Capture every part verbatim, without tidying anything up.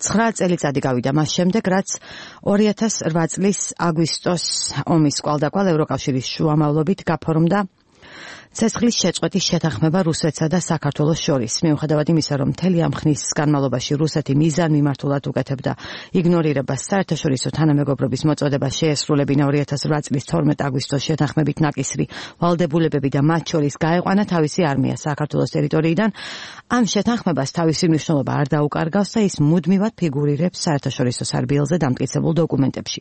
ცხრა წელიწადი გავიდა მას შემდეგ, რაც ორი ათას რვა წლის აგვისტოს ომის კვალდაკვალ ევროკავშირის შუამავლობით გაფორმდა ცეცხლის შეწყვეტის შეთანხმება რუსეთსა და საქართველოს შორის. მიუხედავად იმისა, რომ მთელი ამ ხნის განმავლობაში რუსეთი მიზან მიმართულად უკეთებდა იგნორირებას საერთაშორისო თანამეგობრობის მოწოდებას შეესრულებინა ორი ათას რვა წლის თორმეტ აგვისტოს შეთანხმებით ნაკისრი ვალდებულებები და მათ შორის გაეყვანა თავისი არმია საქართველოს ტერიტორიიდან, ამ შეთანხმებას თავისი მნიშვნელობა არ დაუკარგავს და ის მუდმივად ფიგურირებს საერთაშორისო სარბიელზე დამტკიცებულ დოკუმენტებში.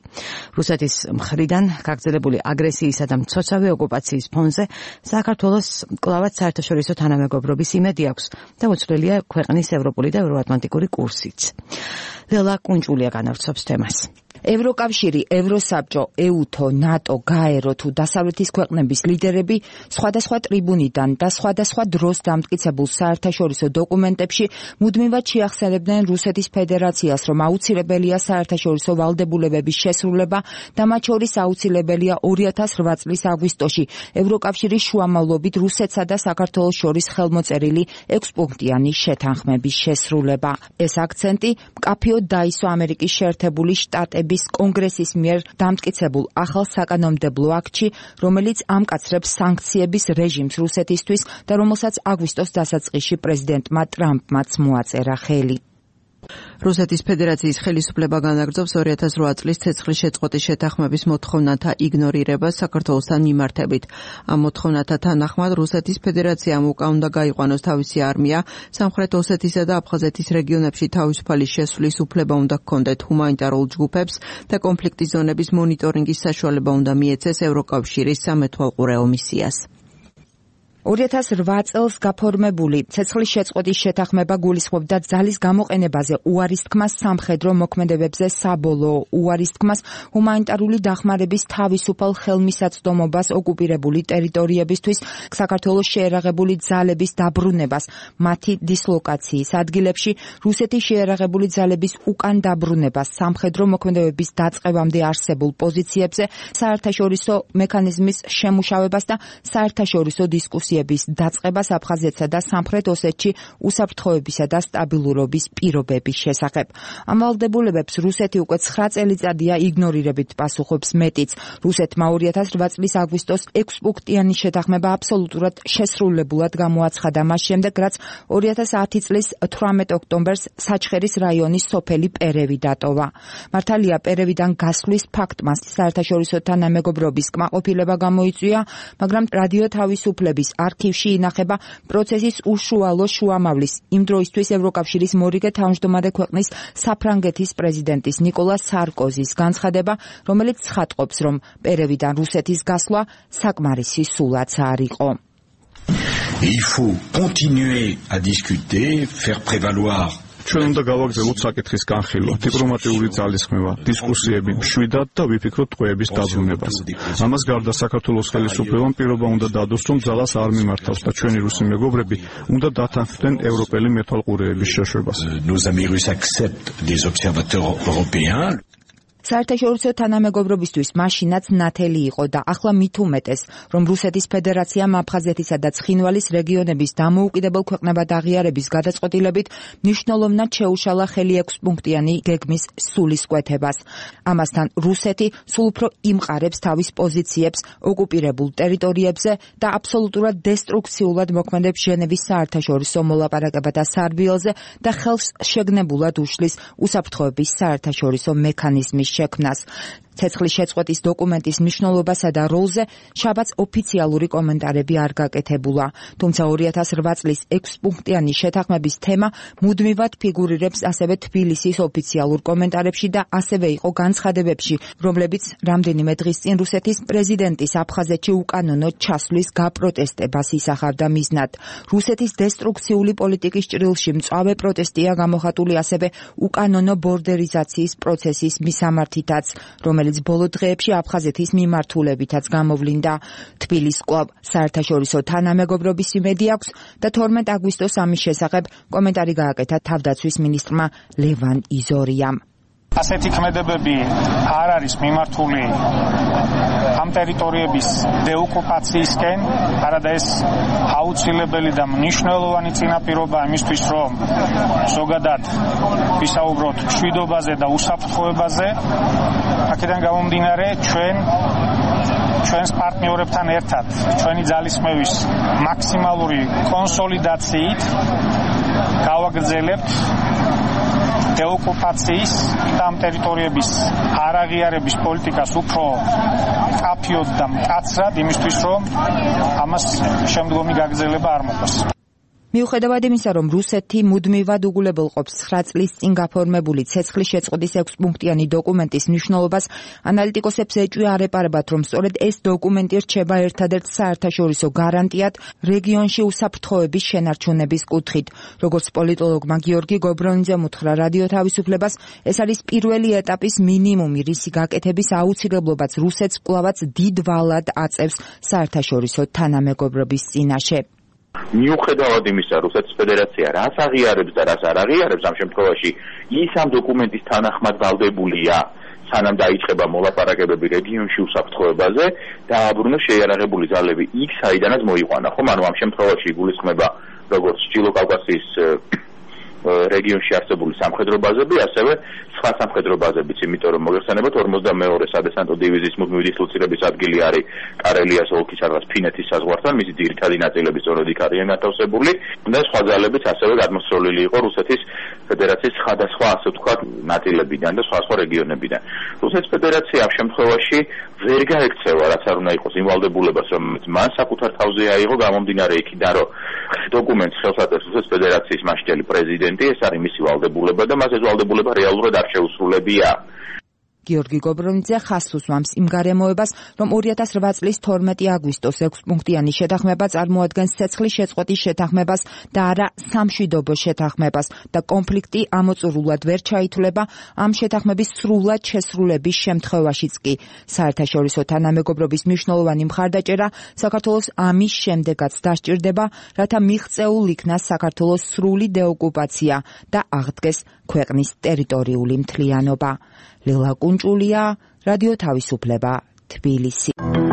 რუსეთის მხრიდან გაგრძელებული აგრესიისა და მცოცავი ოკუპაციის ფონზე საქართველოს კლავად საერთაშორისო თანამეგობრობის იმედი აქვს და უცვლელია ქვეყნის ევროპული და ევროატლანტიკური კურსიც. ლელა კუნჭულია განავრცობს თემას. ევროკავშირი, ევროსაბჭო, ეუთო, ნატო, გაერო თუ დასავლეთის ქვეყნების ლიდერები სხვადასხვა ტრიბუნიდან და სხვადასხვა დროს დამტკიცებულ საერთაშორისო დოკუმენტებში მუდმივად შეახსენებდნენ რუსეთის ფედერაციას, რომ აუცილებელია საერთაშორისო ვალდებულებების შესრულება და მათ შორის აუცილებელია ორი ათას რვა წლის აგვისტოში ევროკავშირის შუამავლობით რუსეთსა და საქართველოს შორის ხელმოწერილი ექვსპუნქტიანი შეთანხმების შესრულება. ეს აქცენტი მკაფიოდ დაისვა ამერიკის შეერთებული შტატების კონგრესის მიერ დამტკიცებულ ახალ საკანონმდებლო აქტში, რომელიც ამკაცრებს სანქციების რეჟიმს რუსეთისთვის და რომელსაც აგვისტოს დასაწყისში პრეზიდენტმა ტრამპმაც მოაწერა ხელი. რუსეთის ფედერაციის ხელისუფლება განაგრძობს ორი ათას რვა წლის ცეცხლის შეწყვეტის შეთანხმების მოთხოვნათა იგნორირებას საქართველოსთან მიმართებით. ამ მოთხოვნათა თანახმად რუსეთის ფედერაციამ უკან უნდა გაიყვანოს თავისი არმია, სამხრეთ ოსეთისა და აფხაზეთის რეგიონებში თავისუფალი შესვლის უფლება უნდა ჰქონდეთ ჰუმანიტარულ ჯგუფებს და კონფლიქტის ზონების მონიტორინგის საშუალება უნდა მიეცეს ევროკავშირის სამეთვალყურეო მისიას. ორი ათას რვა წელს გაფორმებული ცეცხლის შეწყვეტის შეთანხმება გულისხმობდა ძალის გამოყენებაზე, უარის თქმას სამხედრო მოქმედებებზე საბოლოო უარის თქმას ჰუმანიტარული დახმარების თავისუფალ ხელმისაწვდომობას ოკუპირებული ტერიტორიებისთვის, საქართველოს შეერაღებული ძალების დაბრუნებას, მათი დისლოკაციის ადგილებში, რუსეთის შეერაღებული ძალების უკან დაბრუნებას, სამხედრო მოქმედებების დაწყებამდე არსებულ პოზიციებზე, საერთაშორისო მექანიზმის შემუშავებას და საერთაშორისო დისკუსიას დაწყებას აფხაზეთსა და სამხრეთ ოსეთში უსაფრთხოებისა და სტაბილურობის პირობების შესახებ. ამ ვალდებულებებს რუსეთი უკვე ცხრა წელიწადია იგნორირებით პასუხობს მეტიც. რუსეთმა ორი ათას რვა წლის აგვისტოს ექვსპუნქტიანი შეთანხმება აბსოლუტურად შესრულებულად გამოაცხადა მას შემდეგ, რაც ორი ათას ათი წლის თვრამეტ ოქტომბერს საჩხერის რაიონის სოფელი პერევი დატოვა. მართალია პერევიდან გასვლის ფაქტმა საერთაშორისო თანამეგობრობის კმაყოფილება გამოიწვია, მაგრამ რადიო თავისუფლების არქივში ინახება პროცესის უშუალო შუამავლის, იმ დროისთვის ევროკავშირის მორიგე თავმჯდომარე ქვეყნის საფრანგეთის პრეზიდენტის ნიკოლა სარკოზის განცხადება, რომელიც ცხადყოფს, რომ პერევიდან რუსეთის გასვლა საკმარისი სულაც არ იყო. Il faut continuer à discuter, faire prévaloir ჩვენ უნდა გავაგრძელოთ საკითხის განხილვა, დიპლომატიური ძალისხმევა, დისკუსიები, მშვიდად და ვიფიქროთ ტყვეების დაბრუნებას. ამას გარდა საქართველოს ხელისუფლებამ პირობა უნდა დადოს, რომ ძალას არ მიმართავს და ჩვენი რუსი მეგობრები უნდა დათანხმდნენ ევროპელი მეთვალყურეების შეშვებას. Nos amis russes acceptent des observateurs européens. საერთაშორისო თანამეგობრობისთვის მაშინაც ნათელი იყო და ახლა მით უმეტეს, რომ რუსეთის ფედერაციამ აფხაზეთისა და ცხინვალის რეგიონების დამოუკიდებელ ქვეყნებად აღიარების გადაწყვეტილებით მნიშვნელოვნად შეუშალა ხელი ექვსპუნქტიანი გეგმის სულისკვეთებას. ამასთან რუსეთი სულ უფრო იმყარებს თავის პოზიციებს ოკუპირებულ ტერიტორიებზე და აბსოლუტურად დესტრუქციულად მოქმედებს ჟენევის საერთაშორისო მოლაპარაკებათა სარბიელზე და ხელს შეგნებულად უშლის უსაფრთხოების საერთაშორისო მექანიზმის შექმნას. ცეცხლის შეწყვეტის დოკუმენტის მნიშვნელობასა და როლზე შაბათს ოფიციალური კომენტარები არ გაკეთებულა. თუმცა ორი ათას რვა წლის ექვსპუნქტიანი შეთანხმების თემა მუდმივად ფიგურირებს ასევე თბილისის ოფიციალურ კომენტარებში და ასევე იყო განცხადებებში, რომლებიც რამდენიმე დღის წინ რუსეთის პრეზიდენტის აფხაზეთში უკანონო ჩასვლის გაპროტესტებას ისახავდა მიზნად. რუსეთის დესტრუქციული პოლიტიკის ჭრილში მწვავე პროტესტია გამოხატული ასევე უკანონო ბორდერიზაციის პროცესის მისამართითაც, რომელიც ბოლო დღეებში აფხაზეთის მიმართულებითაც გამოვლინდა. თბილისს კვლავ საერთაშორისო თანამეგობრობის იმედი აქვს და თორმეტ აგვისტოს ამის შესახებ კომენტარი გააკეთა თავდაცვის მინისტრმა ლევან იზორიამ. ასეთი ქმედებები არ არის მიმართული ამ ტერიტორიების დეოკუპაციისკენ, არადა ეს აუცილებელი და მნიშვნელოვანი წინაპირობა იმისთვის, რომ ზოგადად ვისაუბროთ მშვიდობაზე და უსაფრთხოებაზე. აქედან გამომდინარე, ჩვენ ჩვენს პარტნიორებთან ერთად, ჩვენი ძალისხმევის მაქსიმალური კონსოლიდაციით გავაგრძელებთ დეოკუპაციის და ამ ტერიტორიების არაღიარების პოლიტიკას უფრო მკაფიოდ და მკაცრად, იმისთვის, რომ ამას შემდგომი გაგრძელება არ მოყვეს. მიუხედავად იმისა, რომ რუსეთი მუდმივად უგულებელყოფს ცხრა წლის წინ გაფორმებული ცეცხლის შეწყვეტის ექვსპუნქტიანი დოკუმენტის მნიშვნელობას, ანალიტიკოსებს ეჭვი არ ეპარებათ, რომ სწორედ ეს დოკუმენტი რჩება ერთადერთ საერთაშორისო გარანტიად რეგიონში უსაფრთხოების შენარჩუნების კუთხით. როგორც პოლიტოლოგმა გიორგი გობრონიძემ უთხრა რადიო თავისუფლებას, ეს არის პირველი ეტაპის მინიმუმი, რისი გაკეთების აუცილებლობაც რუსეთს კვლავაც დიდ ვალად აწევს საერთაშორისო თანამეგობრობის წინაშე. მიუხედავად იმისა, რუსეთის ფედერაცია რას აღიარებს და რას არ აღიარებს, ამ შემთხვევაში ის ამ დოკუმენტის თანახმად ვალდებულია, სანამ დაიწყება მოლაპარაკებები რეგიონში უსაფრთხოებაზე, დააბრუნოს შეიარაღებული ძალები იქ, საიდანაც მოიყვანა. ხომ, ანუ ამ შემთხვევაში იგულისხმება როგორც ჩრდილო კავკასიის რეგიონში არსებული სამხედრო ბაზები, ასევე სხვა სამხედრო ბაზებიც, იმიტომ რომ მოგეხსენებათ ორმოცდამეორე სადესანტო დივიზიის მუდმივი დისლოცირების ადგილი არის კარელიას ოლქის რაღაც ფინეთის საზღვართან, მისი ძირითადი ნაწილები სწორედ იქ არიან განთავსებული და სხვა ძალებიც ასევე გადმოსწოლილი იყო რუსეთის ფედერაციის სხვადასხვა, ასე ვთქვათ, ნაწილებიდან და სხვა სხვა რეგიონებიდან. რუსეთის ფედერაცია ამ შემთხვევაში ვერ გაექცევა, რაც არ უნდა იყოს იმ ვალდებულებას, რომელიც მან საკუთარ თავზე აიღო, გამომდინარე იქიდან, რომ დოკუმენტს ხელს აწევს რუსეთის ფედერაციის მასშტაბი პრეზიდენტი, ეს არის მისი ვალდებულება და მას ეს ვალდებულება რეალურად არ შეუსრულებია. გიორგი გობრონიძე ხაზს უსვამს იმ გარემოებას, რომ ორი ათას რვა წლის თორმეტი აგვისტოს ექვსპუნქტიანი შეთანხმება წარმოადგენს ცეცხლის შეწყვეტის შეთანხმებას და არა სამშვიდობო შეთანხმებას და კონფლიქტი ამოწურულად ვერ ჩაითვლება ამ შეთანხმების სრულად შესრულების შემთხვევაშიც კი. საერთაშორისო თანამეგობრობის მნიშვნელოვანი მხარდაჭერა საქართველოს ამის შემდეგაც დასჭირდება, რათა მიღწეულ იქნას საქართველოს სრული დეოკუპაცია და აღდგეს ქვეყნის ტერიტორიული მთლიანობა. ლილა კუნჭულია, რადიო თავისუფლება, თბილისი.